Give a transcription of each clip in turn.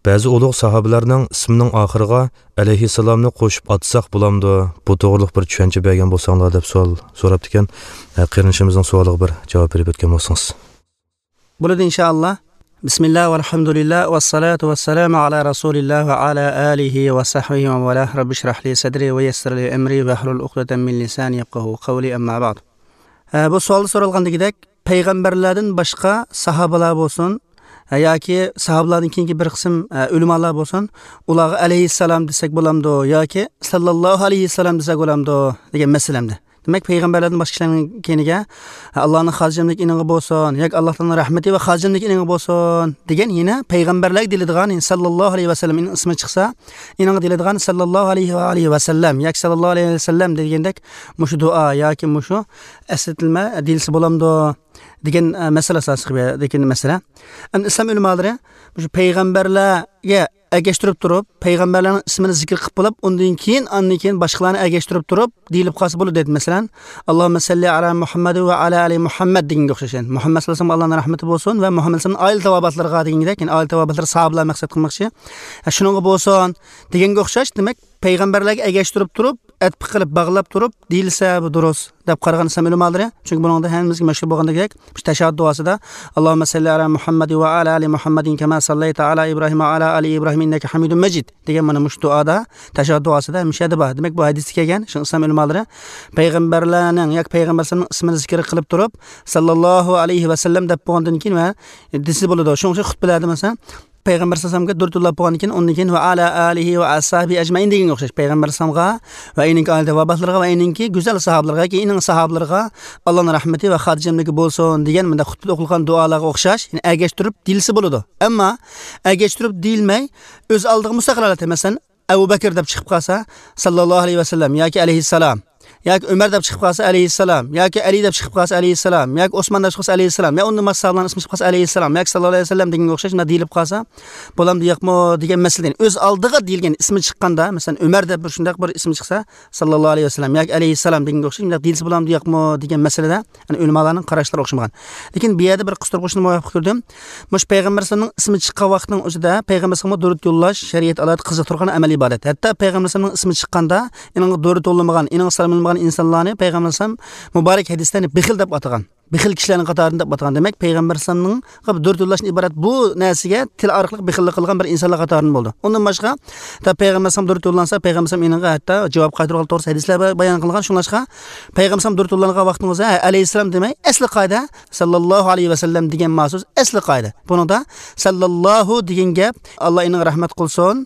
Ba'zi ulug' sahobalarning ismining oxiriga alayhissalomni qo'shib atsak bo'lamdi, bu to'g'riliq bir tushuncha bergan bo'lsanglar deb savol so'rabdi ekan. Qarindoshimizning savoliga bir javob berib o'tgan bo'lsangiz. Bo'ladi inshaalloh. Bismillah valhamdulillah vassalatu vassalamu ala rasulillah va ala alihi va sahbihi va valah. Rabbi shrah li sadri va yassir li amri va hlul uqdatan min lisani yafqahu qawli, amma ba'd. Bu savol so'ralgandagidek payg'ambarlardan boshqa sahobalar bo'lsin yoki sahobalardan keyingi bir qism ulamolar bo'lsin, ularga alayhissalom desak bo'lamdi yoki sallallohu alayhissalom desak bo'lamdi degan masalamda. Demak, payg'ambarlardan boshqa kishilarning keyiniga Allohning xotirjamlik iningi bo'lsin yoki Alloh taoloning rahmati va xotirjamlik iningi bo'lsin degan yana payg'ambarlarga deyiladigan sallallohu alayhi vasallam ismi chiqsa, iningi deyiladigan sallallohu alayhi va alihi vasallam yoki sallallohu alayhi vasallam degandek mushu duo yoki mushu eslatilma deyilsa bo'lamdi degan masala asosida degan masala. Endi islom ulamolari shu payg'ambarlarga ergashtirib turib, payg'ambarlarning ismini zikr qilib bo'lib, undan keyin andan keyin boshqalarni ergashtirib turib deyilib qolsa bo'ladi dedi. Masalan, Allohumma salli ala Muhammad va ala ali Muhammad deganga o'xshash. Muhammad sallallohu alayhi vasallam Allohning rahmati bo'lsin va Muhammad sallallohu alayhi vasallam oila tavobatlariga degandek, ya'ni oila tavobatlari sahobalar maqsad qilmoqchi. Shuningga bo'lsin deganga o'xshash, demak, payg'ambarlarga ergashtirib turib, atfi qilib bog'lab turib deyilsa bu durust deb qaragan islom ulamolari. Chunki buningda hammamizga mashhur bo'lgandek, shu tashahhud duosida Allohumma salli ala Muhammad va ala ali Muhammadin kama sallayta ala Ibrohim va ala ali Ibrohim innaka Hamidum Majid degan mana shu duoda, tashahhud duosida mishada bor. Demak, bu hadisda kelgan shu islom ulamolari payg'ambarlarning yoki payg'ambarlarning ismini zikr qilib turib sallallohu alayhi va sallam deb bo'lgandan keyin va desa bo'ladi. Shuning uchun xutbalarda masalan payg'ambar sallallohu alayhi vasallamga durud yo'llab bo'lgandan keyin undan keyin va ala alihi va ashabi ajmain deganga o'xshash payg'ambar sallamga va ininki oila tavobatlariga va ininki go'zal sahobalarga yoki ining sahobalarga Allohning rahmati va xotirjamligi bo'lsin degan bunda xutbada o'qilgan duolarga o'xshash, ya'ni ergashtirib deyilsa bo'ladi. Ammo ergashtirib deyilmay o'z oldiga mustaqil holatda, masalan, Abu Bakr deb chiqib qolsa sallallohu alayhi vasallam yoki alayhissalom, yoki Umar deb chiqib qolsa alayhissalom, yoki Ali deb chiqib qolsa alayhissalom, yoki Osmon deb chiqib qolsa alayhissalom, yo undan boshqa sahobalarning ismi chiqib qolsa alayhissalom yoki sallallohu alayhi vasallam deganga o'xshash shunday deyilib qolsa bo'lamdi yo'qmi degan masaladan o'z oldiga deyilgan ismi chiqqanda, masalan, Umar deb bir shunday bir ismi chiqsa sallallohu alayhi vasallam yoki alayhissalom deganga o'xshash shunday deyilsa bo'lamdi yo'qmi degan masalada ya'ni ulamolarning qarashlari o'xshamagan. Lekin bu yerda bir qistirib qo'shni muvofiq ko'rdim. Mush payg'ambar sallallohu alayhi vasallamning ismi chiqqan vaqtning o'zida payg'ambar sallallohu durud yo'llash shariat alohida qiziqtirgan amal ibodat. Hatto payg'ambar sallallohu ismi chiqqanda ininga durud yo'llamagan, ininga salom yo'llamagan insonlarni payg'ambar sallam muborak hadislarni bexil deb atagan. Bexil kishilarning qatorida deb atagan. Demak, payg'ambar sallamning durud yo'llashdan iborat bu narsaga til orqali bexillik qilgan bir insonlar qatorida bo'ldi. Undan boshqa ta payg'ambar sallam durud yo'llansa, payg'ambar sallam ininga hatto javob qaytargan to'g'risida hadislar bayon qilingan. Shunlashqa payg'ambar sallam durud yo'llangan vaqtning o'zida alayhissalom demay, asli qoida sallallohu alayhi vasallam degan ma'sus asli qoida. Buningda sallallohu degan gap Alloh ininga rahmat qilsin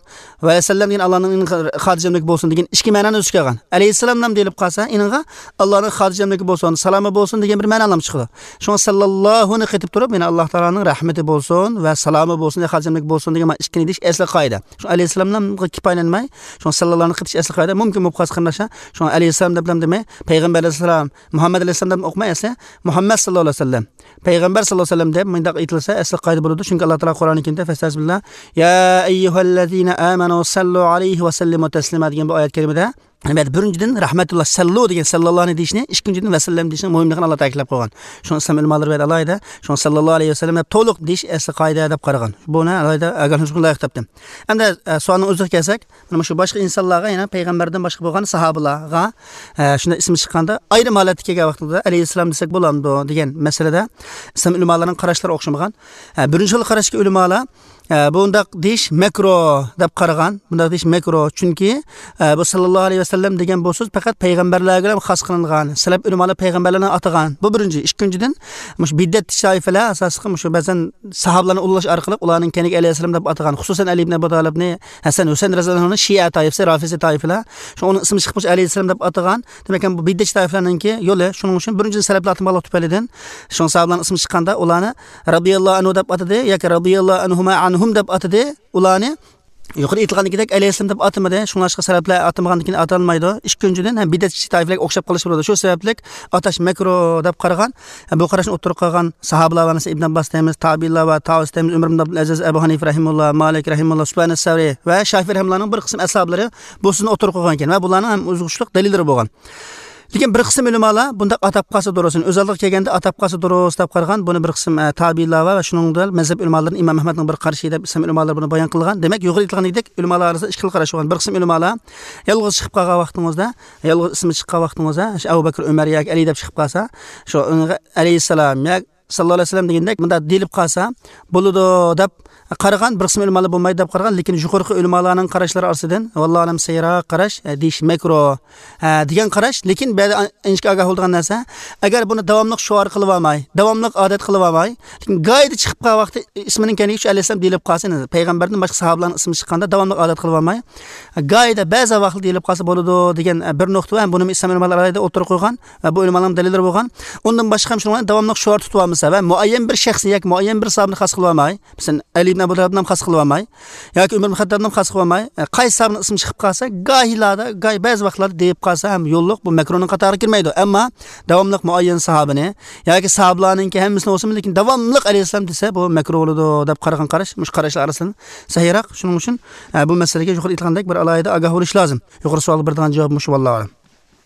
va sallam degan Allohning ininga xotirjamligi bo'lsin degan ikki ma'noni o'z ichiga olgan. Alayhissalom nam deyilib qolsa, ininga Allohning xotirjamligi bo'lsin, salomi bo'lsin degan bir ma'no ham chiqadi. Shunga sallallohuni qaytib turib, yana Alloh taoloning rahmati bo'lsin va salomi bo'lsin, xotirjamlik bo'lsin degan ikkini deyish asli qoida. Shu alayhissalomdan kifoyalanmay, shu sallallohuni qaytish asli qoida. Mumkin bo'lib qolsa qarindoshlar, shu alayhissalom deb ham demay, payg'ambar alayhissalom, Muhammad alayhissalom deb o'qimay, asli Muhammad sallallohu alayhi vasallam, payg'ambar sallallohu alayhi vasallam deb bundoq aytilsa asli qoida bo'ladi. Chunki Alloh taolo Qur'oni Karimda fastazbillah ya ayyuhallazina amanu sallu alayhi va sallimu taslima degan bu oyat karimada Albatta, birinchidan rahmatulloh sallu degan sallallohni deyishni, ikkinchidan va sallam deyishni muhimligini Alloh ta'kidlab qo'ygan. Shuni islom ulamolari va alohida shuni sallallohu alayhi vasallam deb to'liq deyish asli qoida deb qaragan. Buni alohida ogohlantirishga loyiq topdim. Endi savolning o'ziga kelsak, mana shu boshqa insonlarga, yana payg'ambardan boshqa bo'lgan sahobalarga shunday ismi chiqqanda ayrim holatga kelgan vaqtida alayhissalom desak bo'lamdi degan masalada islom ulamolarining qarashlari o'xshamagan. Birinchi xil qarashga ulamolar bundaq deyish makro deb qaragan. Bundaq deyish makro, chunki bu sallallohu alayhi vasallam degan bu so'z faqat payg'ambarlarga ham xos qilingan. Salaf ulamolar payg'ambarlarni atagan. Bu birinchi. Ikkinchidan, mush bid'at toifalar asosida mush ba'zan sahobalarni ulug'lash orqali ularning kaniga alayhissalom deb atagan. Xususan Ali ibn Abi Talibni, Hasan Husayn roziyallohu anhu Shia toifasi, Rafisi toifalar, shu uning ismi chiqib alayhissalom deb atagan. Demak, bu bid'at toifalarninki yo'li. Shuning uchun birinchi salaflar atamalar tufaylidan shu sahobalarning ismi chiqqanda ularni radhiyallohu anhu deb atadi yoki radhiyallohu anhuma anhum deb atadi. Ularni yuqori aytilgandek alayhissalom deb atamadi. Shunlashqa sabablar atamagandan keyin atalmaydi. Ikkinchidan ham bid'atchi toifalarga o'xshab qolish bo'ladi. Shu sababli atash makruh deb qaragan. Bu qarashni o'tirib qolgan sahobalar va Ibn Abbos deymiz, tabiinlar va tavus deymiz, Umar ibn Abdulaziz, Abu Hanifa rahimulloh, Malik rahimulloh, Sufyan as-Savri va Shafiy rahimullohning bir qism ashablari bu so'zni o'tirib qo'ygan ekan va bularning ham o'zg'ushliq dalillari bo'lgan. Lekin bir qism ulamolar bundaq atab qolsa durust, o'z oldiga kelganda atab qolsa durust deb qaragan. Buni bir qism tabiinlar va shuningdek mazhab ulamolarining Imom Ahmadning bir qarashi deb islom ulamolari buni bayon qilgan. Demak, yuqori aytilgandek ulamolar orasida ikki xil qarash bo'lgan. Bir qism ulamolar yolg'iz chiqib qolgan vaqtingizda, yolg'iz ismi chiqqan vaqtingizda, Abu Bakr, Umar yoki Ali deb chiqib qolsa, shu alayhissalom yoki sallallohu alayhi vasallam degandek bunda deyilib qolsa bo'ladi deb qaragan. Bir qism ulamolar bo'lmaydi deb qaragan, lekin yuqorqi ulamolarning qarashlari orasidan vallohu alam sayroq qarash deyish makruh degan qarash. Lekin ba'zi inchga ogoh bo'lgan narsa, agar buni davomli shuar qilib olmay, davomli odat qilib olmay, lekin goyida chiqib qolgan vaqti ismining kaniga shu alayhissalom deyilib qolsa, payg'ambardan boshqa sahobalarning ismi chiqqanda davomli odat qilib olmay, goyida ba'zi vaqt deyilib qolsa bo'ladi degan bir nuqta va buni islom ulamolari o'tirib qo'ygan va bu ulamolarning dalillari bo'lgan. Undan boshqa ham shuni davomli shuar tutib olmasa va muayyan bir shaxsni yoki muayyan bir sahobani xos qilib olmay, masalan Ali ibn Abu Talibni xos qilib olmay yoki Umar ibn Xattobni xos qilib olmay, qaysi sahobning ismi chiqib qolsa, gohilarda, goy ba'zi vaqtlarda deyib qolsa ham yo'lliq, bu makruhning qatoriga kirmaydi. Ammo davomli muayyan sahobani yoki sahobalarninki hammasini bo'lsin, lekin davomli alayhissalom desa bu makruh bo'ladi deb qaragan qarash, mush qarashlar orasidan sahiyroq. Shuning uchun bu masalaga yuqori aytilgandek bir alohida ogoh bo'lish lozim. Yuqori savol beradigan javob mush, vallohu alam.